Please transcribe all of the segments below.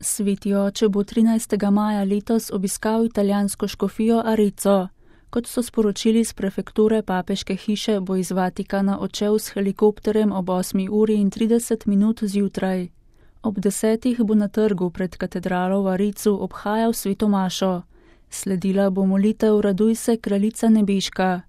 Sveti oče bo 13. maja letos obiskal italijansko škofijo Arezzo. Kot so sporočili z prefekture papeške hiše, bo iz Vatikana odšel s helikopterjem ob 8:30 zjutraj. Ob 10. bo na trgu pred katedralo v Arezzu obhajal sveto mašo. Sledila bo molitev Raduj se, kraljica nebeška.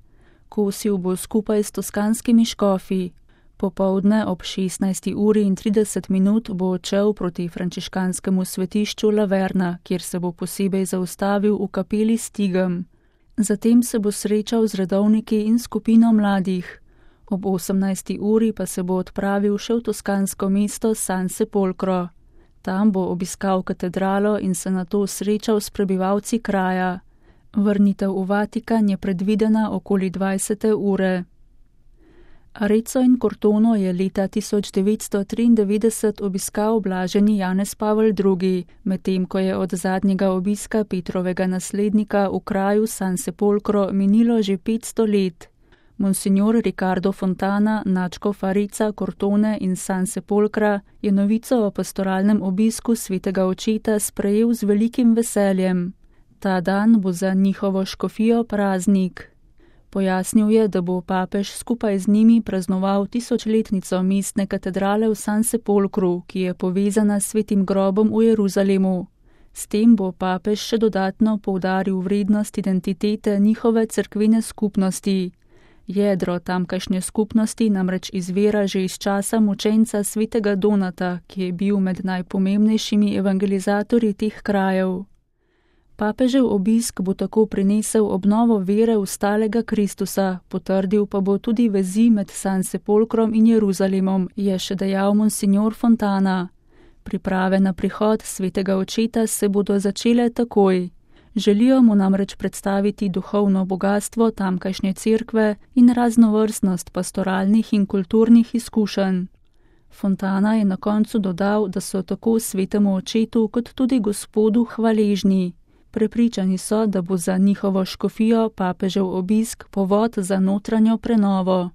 Kosil bo skupaj s toskanskimi škofi. Popoldne ob 16:30 bo odšel proti frančiškanskemu svetišču Laverna, kjer se bo posebej zaustavil v kapeli s Tigem. Zatem se bo srečal z redovniki in skupino mladih. Ob 18. uri pa se bo odpravil še v toskansko mesto San Sepolcro. Tam bo obiskal katedralo in se nato srečal s prebivalci kraja. Vrnitev v Vatikan je predvidena okoli 20. ure. Arezzo in Cortono je leta 1993 obiskal blaženi Janez Pavel II, medtem ko je od zadnjega obiska Petrovega naslednika v kraju San Sepolcro minilo že 500 let. Monsignor Riccardo Fontana, nadškof Arezza, Cortone in San Sepolcra, je novico o pastoralnem obisku svetega očeta sprejel z velikim veseljem. Ta dan bo za njihovo škofijo praznik. Pojasnil je, da bo papež skupaj z njimi praznoval 1000-letnico mestne katedrale v San Sepolcru, ki je povezana s svetim grobom v Jeruzalemu. S tem bo papež še dodatno poudaril vrednost identitete njihove cerkvene skupnosti. Jedro tamkajšnje skupnosti namreč izvira že iz časa mučenca svetega Donata, ki je bil med najpomembnejšimi evangelizatorji teh krajev. Papežev obisk bo tako prinesel obnovo vere v stalega Kristusa, potrdil pa bo tudi vezi med San Sepolcrom in Jeruzalemom, je še dejal monsignor Fontana. Priprave na prihod svetega očeta se bodo začele takoj. Želijo mu namreč predstaviti duhovno bogatstvo tamkajšnje cerkve in raznovrstnost pastoralnih in kulturnih izkušenj. Fontana je na koncu dodal, da so tako svetemu očetu kot tudi Gospodu hvaležni. Prepričani so, da bo za njihovo škofijo papežev obisk povod za notranjo prenovo.